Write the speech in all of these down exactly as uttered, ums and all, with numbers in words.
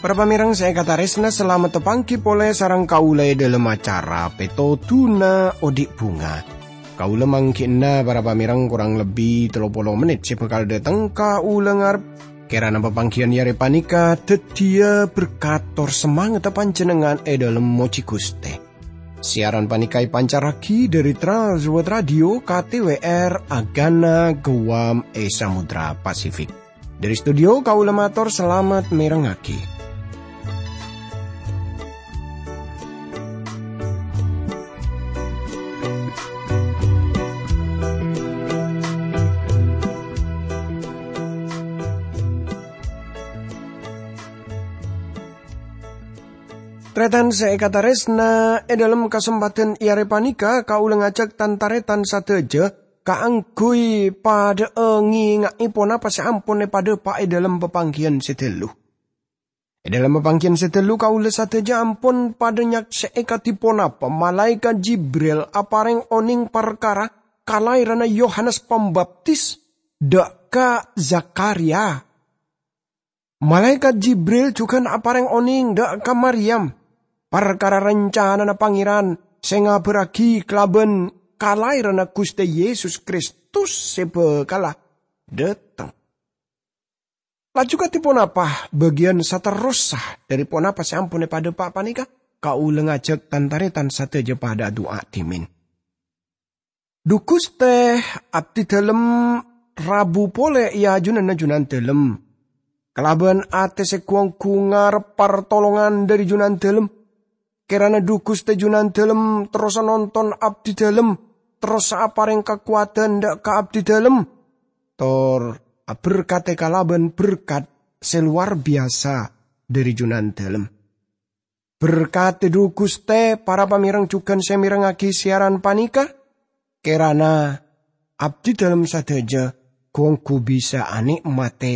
Para pamèrèng sè èkatarèsna, salamet tapangghi polè sareng kaulâ è dhâlem acara Pètodhuna Odi' Bhunga. Kaulâ mangghi'na para pamèrèng korang lebbi tello polo mennit sè bhâkal dhâteng kaulâ ngarep. Kèrana papangghiyân è arè panèka dhâddhiyâ berkat tor samangatta panjhennengngan è dhâlem mojhi Ghustè. Siaran panèka èpancarraghi dhâri Trans World Radio K T W R Agana Guam è Samudra Pasifik. Dhâri studio kaulâ mator salamet mèrengngaghi. Tarètan sè èkatarèsna, è dhâlem kasempadhân è arè panèka kaulâ ngajhâk tan-tarètan sadhâjâ kaangghuy padhâ'â ngènga'è ponapa sè ampon èpadhâpa' è dhâlem papangghiyân sè dhâllu. È dhâlem papangghiyân sè dhâllu kaulâ sadhâjâ ampon padhâ nyaksè'è kadhi ponapa malaèkat Jibril aparèng onèng parkara kalaèranna Yohanes Pambaptis dhâ' ka Zakharia. Malaèkat Jibril jhughân aparèng onèng dhâ' ka Maryam parkara rancanana Pangèran sè ngabhârraghi kalabân kalaèranna Ghustè Yesus Kristus sè bhâkala dhâteng. Laju kadhi ponapa bâgiyân saterrossa dhâri ponapa sè ampon èpadhâpa' panèka? Kaulâ ngajhâk tan-tarètan sadhâjâ padhâ adu'a dhimèn. Dhu Ghustè, abdhi dhâlem rabu polè è ajunanna Junandhâlem. Kalabân atè sè ghu-ongghu ngarep partolongan dhâri Junandhâlem. Kèrana Dhu Ghustè Junandhâlem terrosa nonton abdhi dhâlem, terrosa aparèng kakowadhân dhâ' ka abdhi dhâlem, tor aberkadhi kalabân berkat sè lowar biyasa dhâri Junandhâlem. Berkadhi Dhu Ghustè, para pamèrèng jhughân sè mèrengngaghi siaran panèka, kèrana abdhi dhâlem sadhâjâ ghu-ongghu bisa anè'matè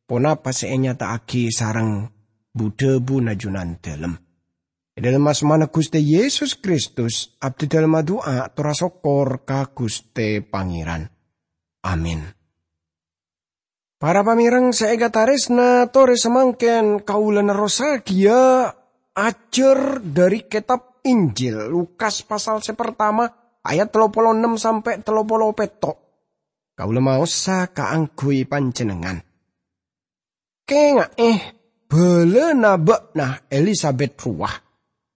ponapa sè ènyata'aghi sareng bu-dhâbuna Junandhâlem. È dhâlem asmana Ghustè Yesus Kristus, abdhi dhâlem adu'a tor asokkor ka Ghustè Pangèran. Amin. Para pamèrèng sè èkatarèsna, torè samangkèn kaulâ nerrossaghiyâ ajhâr dhâri kètab Injil Lukas pasal sè partama, ayat tello polo ennem sampè' tello polo pètto'. Kaulâ maosa kaangghuy panjhennengngan. Kènga'è, bhâlâna bâ'na Elisabet rowa.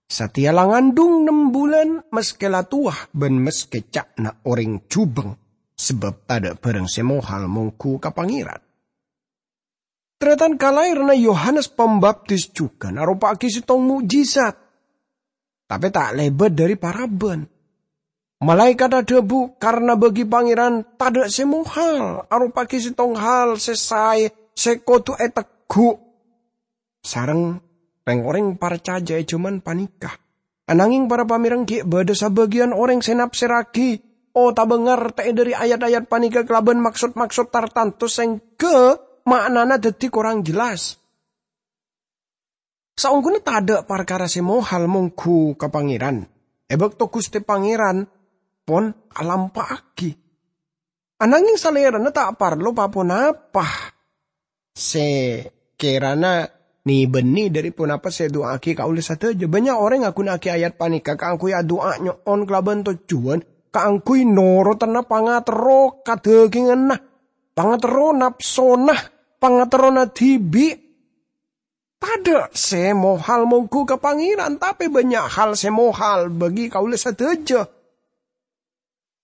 Satèya la ngandhung nem bulân, maskè la towa bân maskè ca'na orèng jhubeng, sabâb tadhâ' bhârâng sè mohal mongghu ka Pangèran. Tarètan kalaèranna Yohanes Pambaptis jhughân aropa'aghi sèttong mo'jizat, tapè ta' lèbât dhâri parabân. Malaèkat adhâbu, "Karna bagi Pangèran tadhâ' sè mohal aropa'aghi sèttong hal sè saè sè kodhu ètegghu'." Sareng rèng-orèng parcajâ è jhâman panèka. Anangèng, para pamèrèng, ghi' bâdâ sabâgiyân orèng sè nafsèrraghi otabâ ngartè'è dhâri ayat-ayat panèka kalabân maksod-maksod tartanto sèngghâ ma'nana dhâddhi korang jelas. Saongghuna tadhâ' parkara sè mohal mongghu ka Pangèran, è bâkto Ghustè Pangèran pon alampa'aghi. Anangèng Salèrana ta' parlo pa-ponapa sè kèrana nè-bânnè dhâri ponapa sè èdu'a'aghi kaulâ sadhâjâ. Bânnya' orèng aghuna'aghi ayat panèka kaangghuy adu'a nyo'on kalabân tojjhuwân kaangghuy norotanna pangaterro kadhâghinganna, pangaterro napsona, pangaterrona dhibi'. Tadhâ' sè mohal mongghu ka Pangèran, tapè bânnya' hal sè mohal bagi kaulâ sadhâjâ.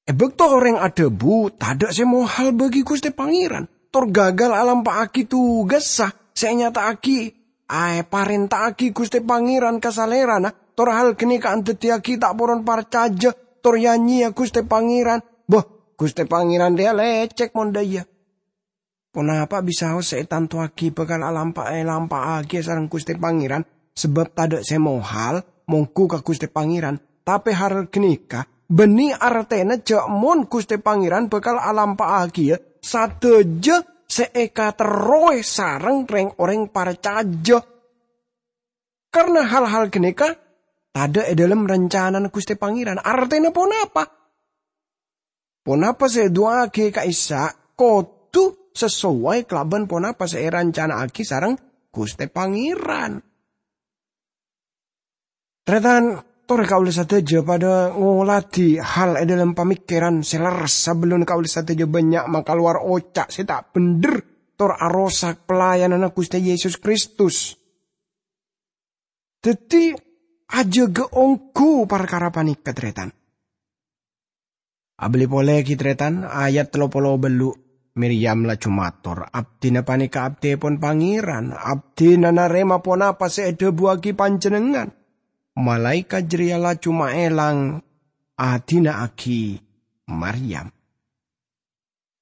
È bâkto orèng adhâbu, "Tadhâ' sè mohal bagi Ghustè Pangèran," tor gagal alampa'aghi tugassa sè ènyata'aghi, èparènta'aghi Ghustè Pangèran ka Salèrana, tor hal ghânèka andhâddhiyâghi ta' poron parcajâ, tor ya-nyèya Ghustè Pangèran. Bâh, Ghustè Pangèran rèya lècèk mon dhâ' iyâ. Ponapa bisaos sè ètantowaghi bhâkal alampa-, èlampa'aghi sareng Ghustè Pangèran, sabâb tadhâ' sè mohal mongghu ka Ghustè Pangèran. Tapè hal ghânèka bânnè artèna jhâ' mon Ghustè Pangèran bhâkal alampa'aghiyâ sadhâjâ sè èkaterrowè sareng rèng-orèng parcajâ. karna hal-hal ganèka tadâ' è dhâlem rancanana Ghustè Pangèran. Artèna ponapa? Ponapa sè èdu'aaghi ka'issa' kodhu sasowai kalabân ponapa sè èrancana'aghi sareng Ghustè Pangèran. Tarètan, torè kaulâ sadhâjâ padâ ngoladhi hal è dhâlem pamèkkèran sè lerres sabellunna kaulâ sadhâjâ bânnya' makalowar oca' sè ta' bhendher tor arosak pelayananna Ghustè Yesus Kristus. Dhâddhi, ajâgâ ongghu parkara panèka, tarètan. Abâli polè ghi, tarètan, ayat tello polo bâllu', Miryam laju mator, "Abdhina panèka abdhipon Pangèran, abdhina narèma ponapa sè èdhâbuwaghi panjhennengngan." Malaèkat jârèya laju maèlang adhina'aghi Maryam.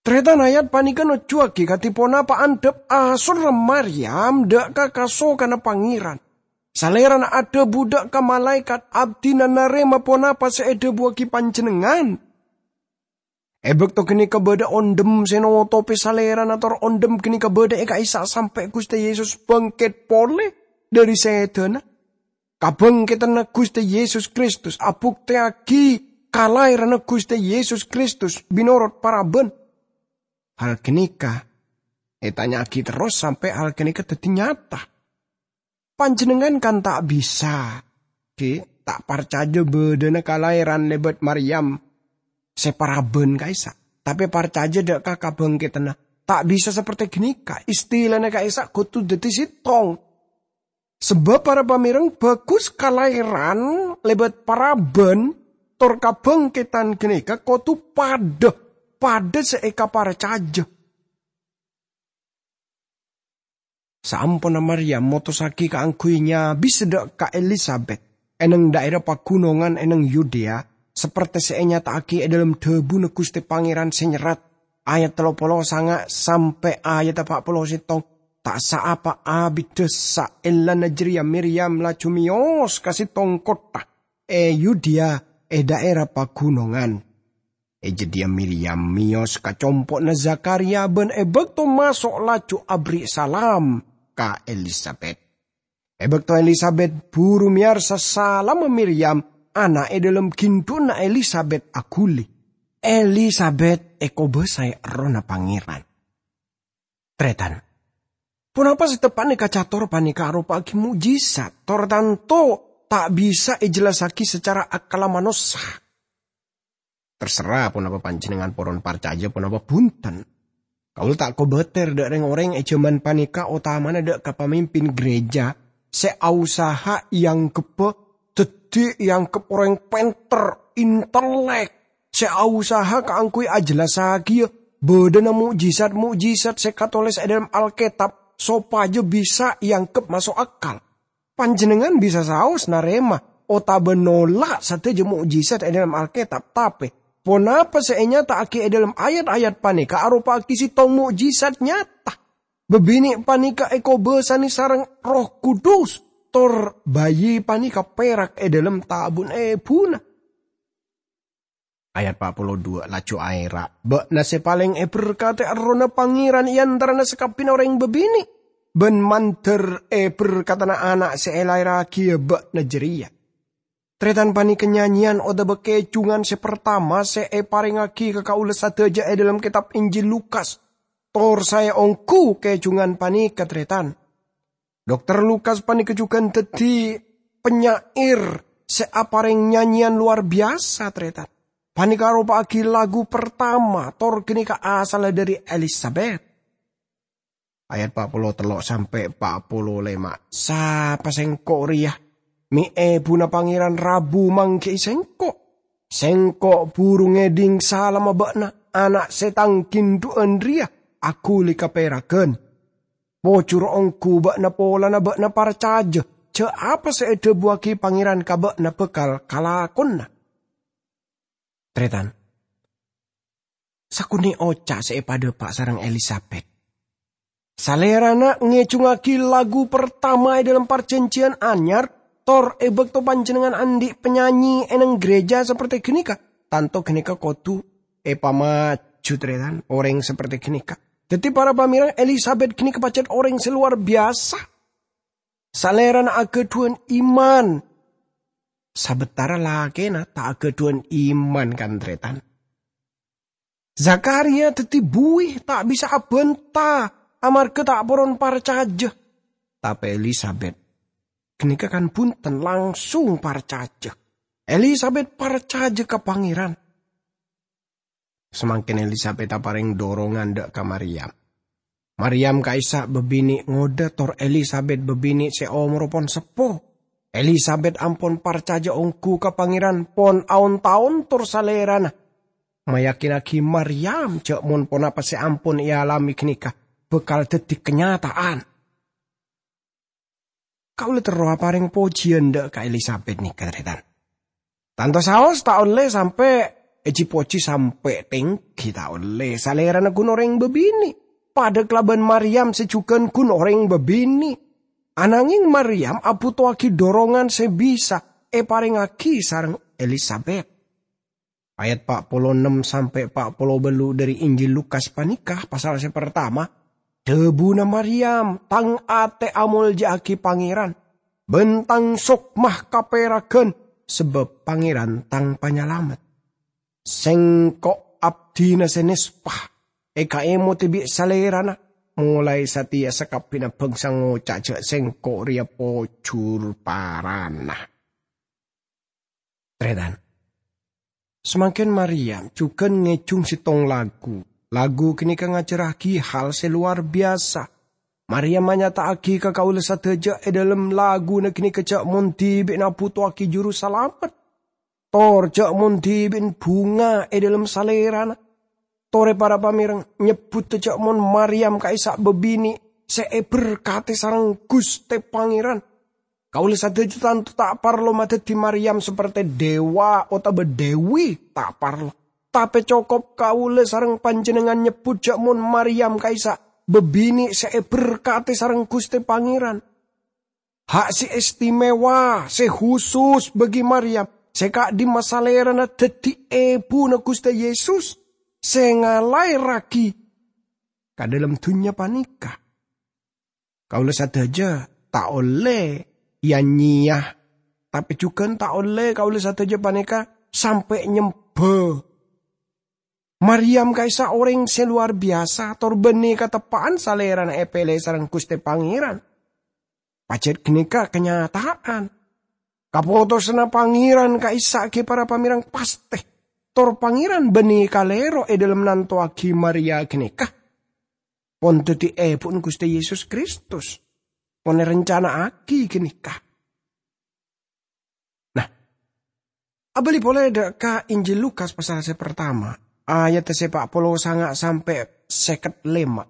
Tarètan, ayat panèka nojuwaghi kadhi ponapa andhâp asorra Maryam dâ' ka kasokanna Pangèran. Salèrana adhâbu dâ' ka malaèkat, "Abdhina narèma ponapa sè èdhâbuwaghi panjhennengngan." È bâkto ganèka bâdâ ondhem sè notopè salèrana, tor ondhem ganèka bâdâ è ka'issa' sampè' Ghustè Yesus bângkèt polè dhâri sèdhâna. Kabângkètanna Ghustè Yesus Kristus abuktèyaghi kalaèranna Ghustè Yesus Kristus mènorot parabân. Hal ganèka ètanya'aghi terros sampè' hal ganèka dhâddhi nyata. Panjhennengngan kan ta' bisa, ghi, ta' parcajâ bâdâna kalaèran lèbât Maryam sè parabân ka'issa', tapè parcajâ dâ' ka kabângkètanna. Ta' bisa saperti ganèka, istilana ka'issa' kodhu dhâddhi sèttong. Sabâb para pamèreng, bhâghus kalaèran lèbât parabân tor kabângkètan ganèka kodhu padâ, padâ sè èkaparcajâ. Saamponna Maryam motossaghi kaangghuy nyabis dâ' ka Elisabet, è neng dhaèra paghunongan è neng Yudea, saperti sè ènyata'aghi è dhâlem dhâbuna Ghustè Pangèran sè nyerrat, ayat tello polo sanga' sampè' ayat pa' polo sèttong, ta' saapa abiddhâ saellana jârèya Miryam laju mèyos ka sèttong kottha è Yudea è dhaèra paghunongan. È jâdiyâ Miryam mèyos ka compo'na Zakharya bân è bâkto maso' laju aberri' salam ka Elisabet. È bâkto Elisabet buru mèyarsa salamma Miryam, ana' è dhâlem ghindu'na Elisabet aghuli. Elisabet èkobâsaè Errohna Pangèran. Tarètan, ponapa sè teppa'na èkacator panèka aropa'aghi mo'jizat, tor tanto ta' bisa èjellassaghi sacara akkalla manossa. Terserah ponapa panjhennengngan poron parcajâ ponapa bhunten. Kaulâ ta' kobâtèr dâ' rèng-orèng è jhâman panèka, otamana dâ' ka pamimpin gereja sè ausaha èanggheppa dhâddhi èangghep orèng pènter, intelek, sè ausaha kaangghuy ajellassaghiyâ bâdâna mo'jizat-mo'jizat sè katolès è dhâlem Alkètab sopajâ bisa èangghep maso' akal. Panjhennengngan bisa saos narèma otabâ nolak sadhâjâ mo'jizat è dhâlem Alkètab, tapè ponapa sè ènyata'aghi è dhâlem ayat-ayat panèka aropa'aghi sèttong mo'jizat nyata. Bâbinè' panèka èkobâsanè sareng Erroh Kudus, tor bayi panèka pèrak è dhâlem tabun èbhuna. Ayat pa' polo duwâ' laju aèra', "Bâ'na sè palèng èberkadhi Errohna Pangèran è antarana sakabbhiyânna orèng bâbinè', bân mandhâr èberkadhâna ana' sè èlaèrraghiyâ bâ'na jârèya." Tarètan, panèka nyanyèyan otabâ kèjhungan sè partama sè èparèngaghi ka kaulâ sadhâjâ è dhâlem kètab Injil Lukas. Tor saè ongghu kèjhungan panèka, tarètan. Dokter Lukas panèka jhughân dhâddhi penyair sè aparèng nyanyèyan lowar biyasa, tarètan. Panèka aropa'aghi lagu partama, tor ghânèka asalla dhâri Elisabet. Ayat pa' polo tello' sampè' pa' polo lèma'. "Sapa sèngko' rèya? Mè' èbhuna Pangèran rabu mangghi'i sèngko'. Sèngko' buru ngèdhing salamma bâ'na, ana' sè tang ghindu'ân rèya aghuli kapèraghân. Pojhur ongghu bâ'na polana bâ'na parcajâ jhâ' apa sè èdhâbuwaghi Pangèran ka bâ'na bhâkal kalakona." Tarètan, sakonè' oca' sè èpadhâpa' sareng Elisabet. Salèrana ngèjhungaghi lagu partama è dhâlem Parjhânjhiyân Anyar, tor è bâkto panjhennengngan andi' panyanyè è neng gereja saperti ghânèka, tanto ghânèka kodhu èpamaju, tarètan, orèng saperti ghânèka. Dhâddhi, para pamèreng, Elisabet ghânèka pajhât orèng sè lowar biyasa. Salèrana aghâdhuwân iman, sabâtara lakèna ta' aghâdhuwân iman, kan-tarètan. Zakharia dhâddhi buwi ta' bisa abhânta amarghâ ta' poron parcajâ. Tapè Elisabet ghânèka kan bhunten langsung parcajâ. Elisabet parcajâ ka Pangèran. Samangkèn Elisabet aparèng dorongan dâ' ka Maryam. Maryam ka'issa' bâbinè' ngodâ tor Elisabet bâbinè' sè omorra pon seppo. Elisabet ampon parcajâ ongghu ka Pangèran pon aon-taon tor salèrana mayakinaghi Maryam jâ' mon ponapa sè ampon èalamè ghânèka bhâkal dhâddhi kanyata'an. Kaulâ terro aparèng pojiyân dâ' ka Elisabet nèka, tarètan. Tanto saos ta' ollè sampè' èji-poji sampè' tèngghi, ta' ollè. Salèrana ghun orèng bâbinè', padâ kalabân Maryam sè jhughân ghun orèng bâbinè'. Ananghèng Maryam abhutoaghi dorongan sè bisa èparèngaghi sareng Elisabet. Ayat pa' polo ennem sampè' pa' polo bâllu' dhâri Injil Lukas panèka, pasal sè partama, dhâbuna Maryam, "Tang atè amolja'aghi Pangèran, bân tang sokma kapèraghân, sabâb Pangèran tang Panyalamet. Sèngko' abdhina sè nèspa, èkaèmodhi bi' Salèrana, molaè satèya sakabbhiyânna bhângsa ngoca' jâ' Sèngko' rèya pojhur parana." Tarètan. Samangkèn Maryam jhughân ngèjhung sèttong lagu. Lagu ghânèka ngajhârraghi hal sè lowar biyasa. Maryam anyata'aghi ka kaulâ sadhâjâ è dhâlem laguna ghânèka jâ' mon dhibi'na abhutoaghi Jurusalamet, tor jâ' mon dhibi'na bhunga è dhâlem Salèrana. Torè para pamèreng, nyebbhudhâ jâ' mon Maryam ka'issa' bâbinè' sè èberkatè sareng Ghustè Pangèran. Kaulâ sadhâjâ tanto ta' parlo madhâddhi Maryam saperte dèwa otabâ dèwi, ta' parlo. Tapè cokop kaulâ sareng panjhennengngan nyebbhut jâ' mon Maryam ka'issa' bâbinè' sè èberkatè sareng Ghustè Pangèran. Ha' sè istimewa, sè husus bagi Maryam, sè ka'dimma salèrana dhâddhi èbhuna Ghustè Yesus sè ngalaèrraghi ka dhâlem dhunnya panèka. Kaulâ sadhâjâ ta' ollè ya-nyeya, tapè jhughân ta' ollè kaulâ sadhâjâ panèka sampè' nyembhâ. Maryam ka'issa' orèng sè lowar biyasa, tor bânnè kateppa'an salèrana èpèlè sareng Ghustè Pangèran. Pajhât ghânèka kanyata'an. Kapotosanna Pangèran ka'issa' ghi' para pamèreng pastè. Tor Pangèran bânnè kalèro è dhâlem nantowaghi Maryam ghânèka pon dhâddhi èbhuna Ghustè Yesus Kristus, pon èrencana'aghi ghânèka. Nah, abâli polè dâ' ka Injil Lukas pasal sè partama, ayat sè pa' polo sanga' sampè' sèket lèma'.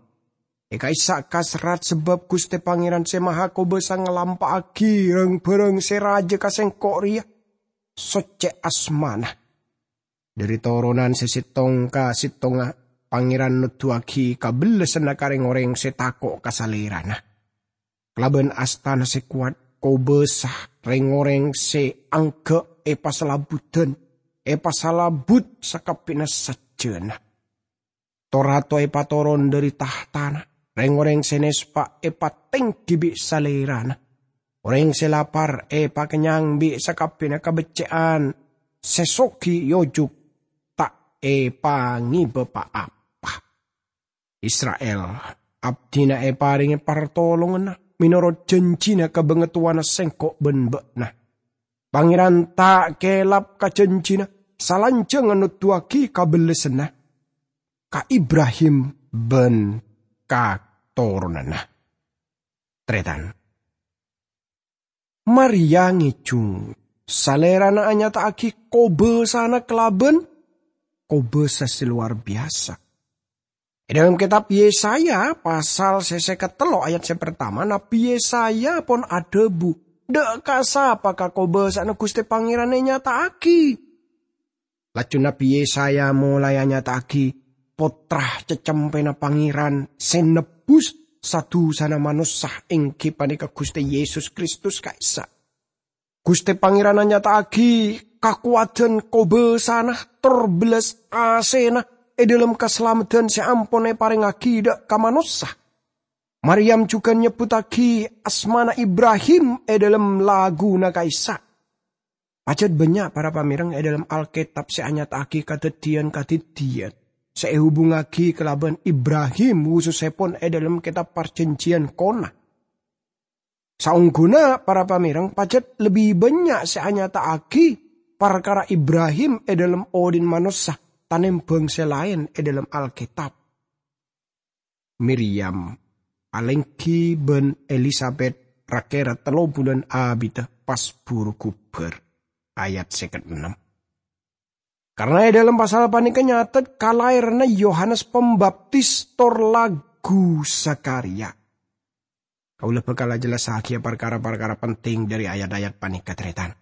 È ka'issa' kaserrat sabâb Ghustè Pangèran Sè Mahakobâsa ngalampa'aghi rang-bhârâng sè rajâ ka sèngko' rèya, soccè asmana. Dhâri toronan sè sèttong ka sèttongnga, Pangèran noddhuwaghi kabellassanna ka rèng-orèng sè tako' ka Salèrana. Kalabân astana sè kowat, kobâsa rèng-orèng sè angghâ' èpasalabuddhân, èpasalabut sakabbhiyânna sajjhâna. To-rato èpatoron dhâri tahtana, rèng-orèng sè nèspa èpatèngghi bi' Salèrana. Orèng sè lapar èpakennyang bi' sakabbhiyânna kabeccè'an, sè soghi èojuk ta' èpangèbâ pa-apa. Isra'il, abdhina èparèngè partolonganna mènorot janjina ka bangatowana sèngko' bân bâ'na. Pangèran ta' kèlap ka janjina, salanjhângnga noddhuwaghi kabellassanna ka Ibrahim bân katoronanna. Tarètan. Maryam ngèjhung, Salèrana anyata'aghi kobâsana kalabân kobâsa sè lowar biyasa. È dhâlem kètab Yesaya, pasal sè sèket tello' ayat sè partama, Nabbhi Yesaya pon adhâbu, "Dâ' ka sapa kakobâsa'anna Ghustè Pangèran ènyata'aghi?" Laju Nabbhi Yesaya molaè anyata'aghi Pottra Cacempèna Pangèran sè nebbhus sa-dusana manossa, èngghi panèka Ghustè Yesus Kristus ka'issa'. Ghustè Pangèran anyata'aghi kakowadhân kobâsana tor bellas asèna è dhâlem kasalameddhân sè ampon èparèngaghi dâ' ka manossa. Maryam jhughân nyebbhuttaghi asmana Ibrahim è dhâlem laguna ka'issa'. Pajhât bânnya' para pamèreng è dhâlem Alkètab sè anyata'aghi kadhâddhiyân-kadhâddhiyân sè èhubungngaghi kalabân Ibrahim, khusussèpon è dhâlem Kètab Parjhânjhiyân Kona. Saongghuna para pamèreng pajhât lebbi bânnya' sè anyata'aghi parkara Ibrahim è dhâlem odhi'na manossa tanèmbhâng sè laèn è dhâlem Alkètab. Miryam alèngghi bân Elisabet ra-kèra tello bulân abiddhâ pas buru ghubâr. Ayat sèket ennem. Karna è dhâlem pasal panèka nyatet kalaèranna Yohanes Pambaptis tor lagghu Zakharya. Kaulâ bhâkal ajhellassaghiyâ parkara-parkara penting dhâri ayat-ayat panèka, tarètan.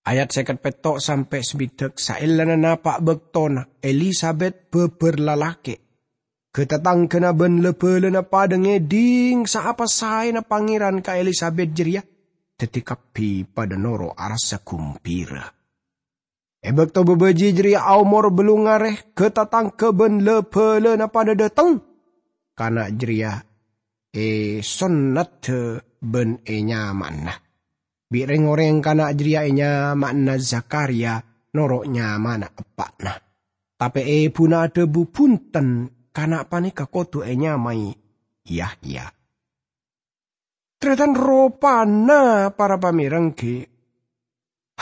Ayat sèket pètto' sampè' sabiddhâk, saellana napa' bâktona, Elisabet bâbâr lalakè'. Ghâ-tatangghâna bân la-bhâlâna padhâ ngèdhing saapa saèna Pangèran ka Elisabet jârèya, dhâddhi kabbhi padhâ noro' arassa ghumbhira. È bâkto bâbâji jârèya aomor bâllung arè, ghâ-tatangghâ bân la-bhâlâna padhâ dhâteng. Kana' jârèya èsonnadhâ bân ènyama'ana. Bi' rèng-orèng kana' jârèya ènyama'ana Zakharya noro' nyamana eppa'na. Tapè èbhuna adhâbu bhunten, kana' panèka kodhu ènyamaè Yahya. Tarètan, ropana para pamèreng ghi'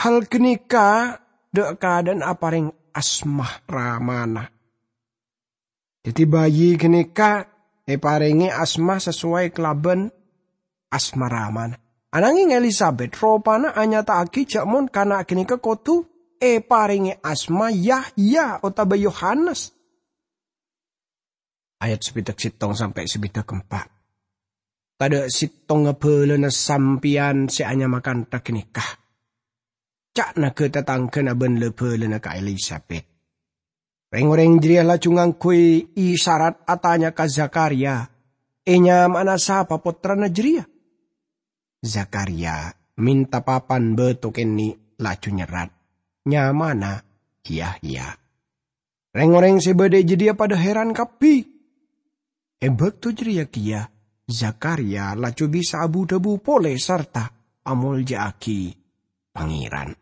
hal ghânèka dhâ'-kadhâ'ân aparèng asma ramana. Dhâddhi, bayi ghânèka èparèngè asma sasowai kalabân asma ramana. Ananghing Elisabet ropana anyata'aghi jâ' mon kana' ghânèka kodhu èparèngè asma Yahya otabâ Yohanes. Ayat sabiddhâk sèttong sampè' sabiddhâk empa'. "Tadhâ' sèttongnga bhâlâna sampèyan sè anyama kantha ghânèka," ca'na ghâ-tatangghâna bân la-bhâlâna ka Elisabet. Rèng-orèng jârèya laju ngangghuy isarat atanya ka Zakharya, "Ènyamana sapa pottrana jârèya?" Zakharya mènta papan bâto kènè' laju nyerrat, "Nyamana Yahya." Rèng-orèng sè bâdâ è jâdiyâ padhâ hèran kabbhi. È bâkto jârèya kèya Zakharya laju bisa abu-dhâbu polè sarta amolja'aghi Pangèran.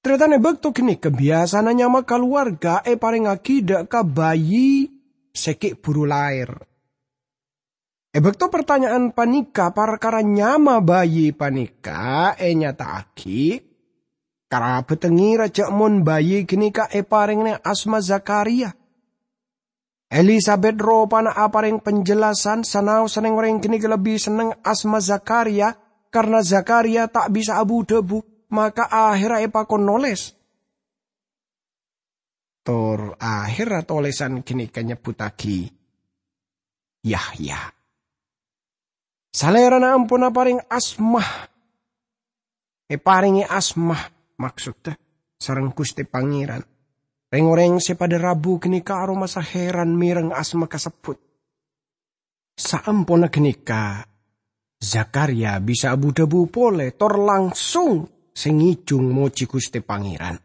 Tarètan, è bâkto ghânèka biyasana nyama kalowarga èparèngaghi dhâ' ka bayi sè ghi' bhuru laèr. È bâkto partanya'an panèka parkara nyama bayi panèka ènyata'aghi, karabhâddhâ ngèra jâ' mon bayi ghânèka èparèngana asma Zakharya. Elisabet ropana aparèng panjhellasan, sanaossa rèng-orèng ghânèka lebbi senneng asma Zakharya, karna Zakharya ta' bisa abu-dhâbu, maka ahèrra èpakon nolès. Tor ahèrra tolèsan ghânèka nyebbhuttaghi Yahya. Salèrana ampon aparèng asma, èparèngè asma, maksodda, sareng Ghustè Pangèran. Rèng-orèng sè padhâ rabu ghânèka aromasa hèran mèreng asma kasebbhut. Saamponna ghânèka, Zakharya bisa abu-dhâbu polè tor langsung sè ngèjhung mojhi Ghustè Pangèran.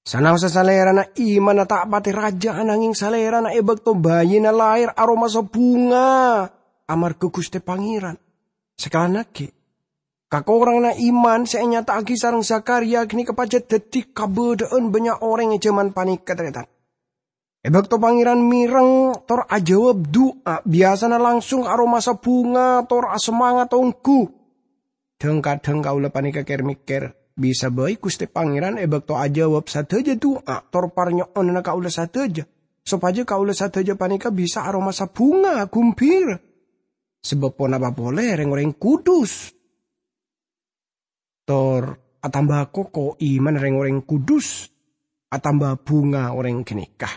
Sanaossa salèrana imanna ta' patè rajâ, ananghing salèrana è bâkto bayina laèr aromasa bhunga amarghâ Ghustè Pangèran. Sakalangngaghi, kakoranganna iman sè ènyata'aghi sareng Zakharya ghânèka pajhât dhâddhi kabâdâ'ân bânnya' orèng è jhâman panèka, tarètan. È bâkto Pangèran mèreng tor ajâwâb du'a, biyasana langsung aromasa bhunga tor asemangat ongghu. Dhâng-kadhâng kaulâ panèka kèr-mèkkèr, bisa bhâi Ghustè Pangèran è bâkto ajâwâb sadhâjâ du'a tor parnyo'onanna kaulâ sadhâjâ, sopajâ kaulâ sadhâjâ panèka bisa aromasa bhunga ghumbhira. Sabâb ponapa polè rèng-orèng kudus? Tor atamba koko imanna rèng-orèng kudus, atamba bhunga orèng ghânèka.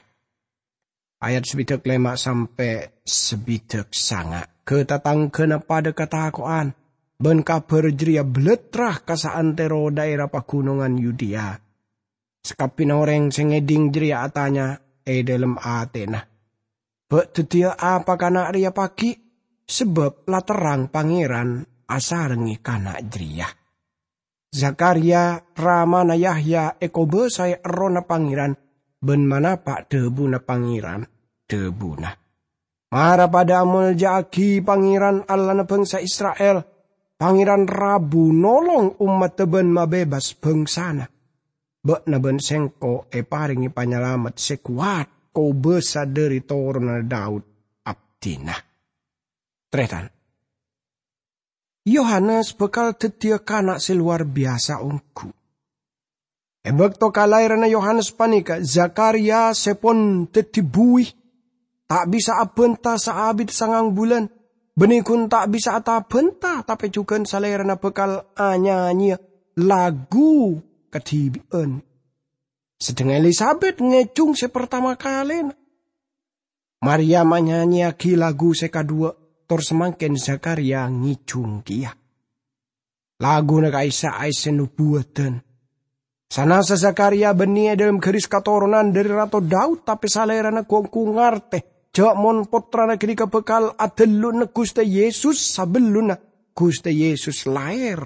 Ayat sabidhâk lèma' sampè' sabidhâk sanga'. Ghâ-tatangghâna padhâ katako'an, bân kabhâr jârèya bâlâtra ka saantèro dhaèra paghunongan Yudea. Sakabbhiyânna orèng sè ngèdhing jârèya atanya è dhâlem atèna, "Bâ' dhâddhiyâ apa kana' rèya paghi'? Sabâb la terrang Pangèran asarengngè kana' jârèya." Zakharya, ramana Yahya, èkobâsaè Errohna Pangèran bân manapa' dhâbuna Pangèran, dhâbuna, Mara padha amolja'agi Pangeran, Allahna bangsa Isra'il. Pangeran rabu nolong ommadda ban mabebas bangsana. Ba'na ban sengko' eparenge panyalamet se kowat, kobasa dhari toronanna Daud abdina. Taretan, Yohanes bakal daddiya kana' se lowar biyasa onggu. E bakto kalaeranna Yohanes paneka, Zakariya se pon daddi buwi, ta' bisa abanta saabit sangang bulan, banne gun ta' bisa atabanta, tape jugan salerana bakal anyanyeya lagu kadibi'an. Sedheng Elisabet ngejung se partama kalena. Maryam anyanyeyagi lagu se kadhuwa, tor samangken Zakariya ngejung keya. Laguna ka'issa' aesse nobuwadan. Sanasa Zakariya banne e dhalem garis katoronan dhari Rato Daud, tape salerana gu-onggu ngarte ja' mon pottrana ganeka bakal adhelluna Guste Yesus sabellunna Guste Yesus laer.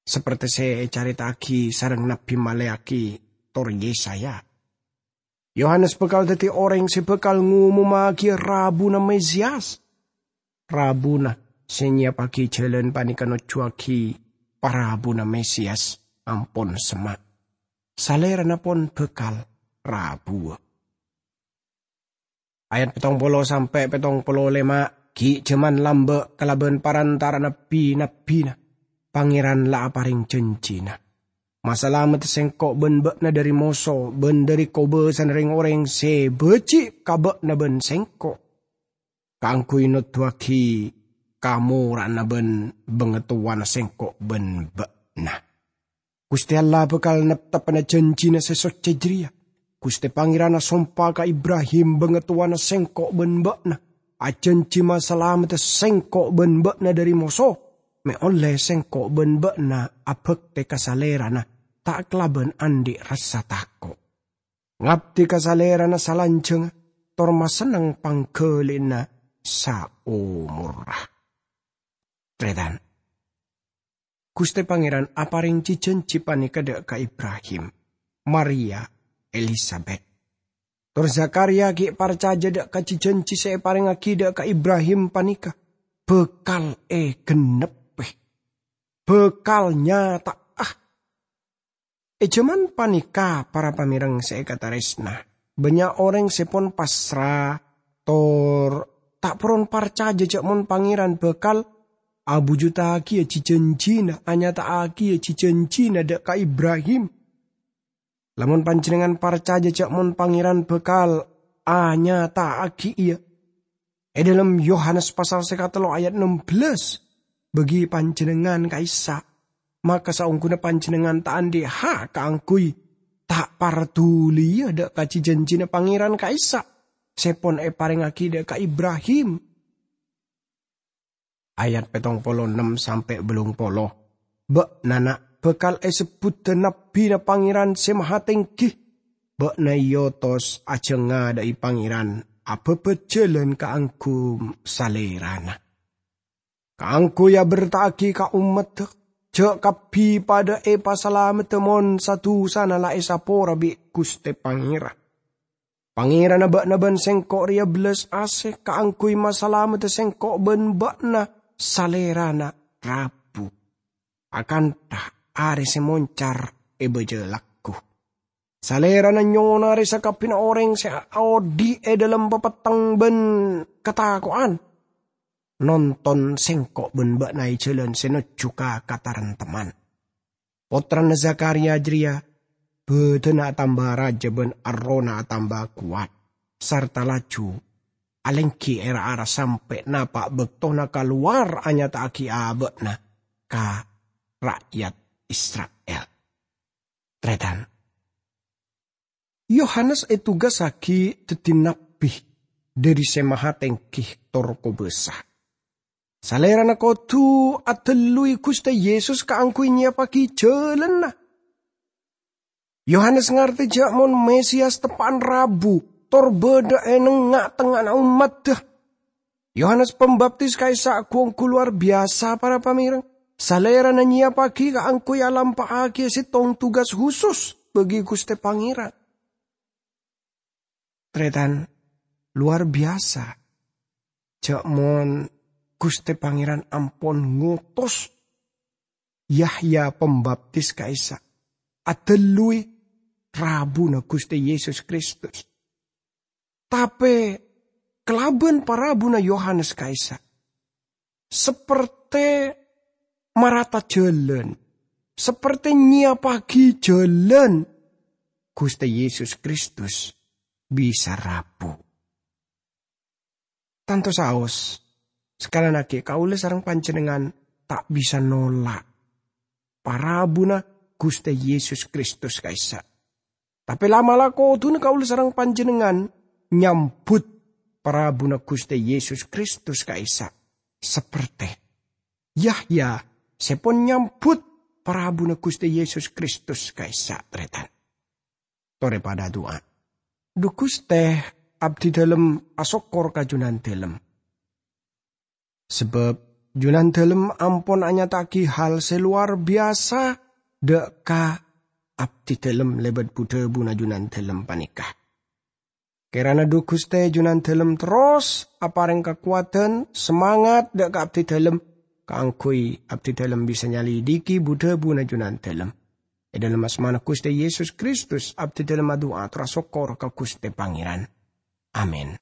Saperte se ecareta'agi sareng Nabbi Maleaki tor Yesaya, Yohanes bakal daddi oreng se bakal ngomommagiya rabuna Mesiyas. Rabuna se nyiyappagi jalan paneka nojjuwagi parabuna Mesiyas ampon semma'. Salerana pon bakal rabuwa. Ayat pettong polo sampe' pettong polo lema, gi' jaman lamba' kalaban parantara'anna bi-nabbina, Pangeran la apareng janjina. Masalamedda sengko' ban ba'na dhari moso ban dhari kobasana reng-oreng se baji' ka ba'na ban sengko', kaangguy noduwagi kamora'anna ban bangatowana sengko' ban ba'na. Guste Allah bakal nepteppana janjina se socce jareya. Guste Pangeran asompa ka Ibrahim, bangatowana sengko' ban ba'na, ajanji masalamedda sengko' ban ba'na dhari moso, me' olle sengko' ban ba'na abakte ka Salerana ta' kalaban andhi' rassa tako'. Ngabdi ka Salerana salanjangnga, tor masenneng panggalina saomorra. Taretan, Guste Pangeran apareng ji-janji paneka dha' ka Ibrahim, Maria, Elisabet. Tor Zakariya gi' parcaja dha' ka ji-janji se eparengngagi dha' ka Ibrahim paneka bakal egenneppe, bakal nyata'a. E jaman paneka, para pamereng se ekataresna, bannya' oreng se pon pasra, tor ta' poron parcaja ja' mon Pangeran bakal abujudagiya ji-janjina, anyata'agiya ji-janjina dha' ka Ibrahim. Lamon panjennengngan parcaja ja' mon Pangeran bakal anyata'agi iya, e dhalem Yohanes pasal se katello ayat ennem belas, bagi panjennengngan ka'issa', maka saongguna panjennengngan ta' andhi' ha' kaangguy ta' parduliya dha' ka ji-janjina Pangeran ka'issa' se pon eparengngagi dha' ka Ibrahim. Ayat pettong polo ennem sampe' bellung polo. Ba'na, na', bakal esebbudda nabbina Pangeran Se Mahatenggi. Ba'na eotos ajangadha'i Pangeran, ababbat jalan kaangguy Salerana. Kaangguy aberta'agi ka ommadda, ja' kabbi padha epasalamedda mon sa-dusana la esapora bi' Guste Pangeran. Pangeranna ba'na ban sengko' reya bellas ase kaangguy masalamedda sengko' ban ba'na, Salerana rabu. Akantha are se moncar e baja laggu. Salerana nyonare sakabbina oreng se aodhi' e dhalem papetteng ban katako'an. Nonton sengko' ban ba'na e jalan se nojju ka kataremtemman. Pottrana Zakariya jareya badanna atamba raja ban errohna atamba kowat, sarta laju alenggi e ra-ara sampe' napa' baktona kalowar anyata'agi aba'na ka ra'yat Isra'il. Taretan. Yohanes etogasagi daddi nabbi dhari Se Mahatenggi tor kobasa, Salerana kodu adalluwi Guste Yesus kaangguy nyiyappagi jalanna. Yohanes ngarte ja' mon Mesiyas teppa'an rabu tor badha e nengnga'-tengnga'anna ommadda. Yohanes Pambaptis ka'issa' gu-onggu lowar biyasa, para pamereng. Salerana nyiyappagi kaangguy alampa'agiya settong tugas husus bagi Guste Pangeran. Taretan, lowar biyasa. Jhâ' mon Ghustè Pangèran ampon ngotos Yahya Pambaptis ka'issa' adhâlluwi rabuna Ghustè Yesus Kristus. Tapè kalabân parabuna Yohanes ka'issa', sapertè marata jhâlân, sapertè nyèyappaghi jhâlân Ghustè Yesus Kristus bisa rabu. Tanto saos, sakalèyan aghi' kaulâ sareng panjhennengngan ta' bisa nolak parabuna Ghustè Yesus Kristus ka'issa'. Tapè la'-mala' kodhuna kaulâ sareng panjhennengngan nyambhut parabuna Ghustè Yesus Kristus ka'issa', sapertè Yahya sè pon nyambhut parabuna Ghustè Yesus Kristus ka'issa', tarètan. Torè padâ adu'a. Dhu Ghustè, abdhidhâlem asokkor ka Jhunandhâlem. Sabâb Jhunandhâlem ampon anyata'aghi hal sè lowar biyasa dâ' ka abdhidhâlem lèbât bu-dhâbuna Jhunandhâlem panèka. Kèrana dhu Ghustè Jhunandhâlem terros aparèng kakowadhân, samangat dâ' ka abdhidhâlem kaangghuy abdhidhâlem bisa nyalèdhighi bu-dhâbuna Jhunandhâlem. È dhâlem asmana Ghustè Yesus Kristus, abdhidhâlem adu'a tor asokkor ka Ghustè Pangèran. Amin.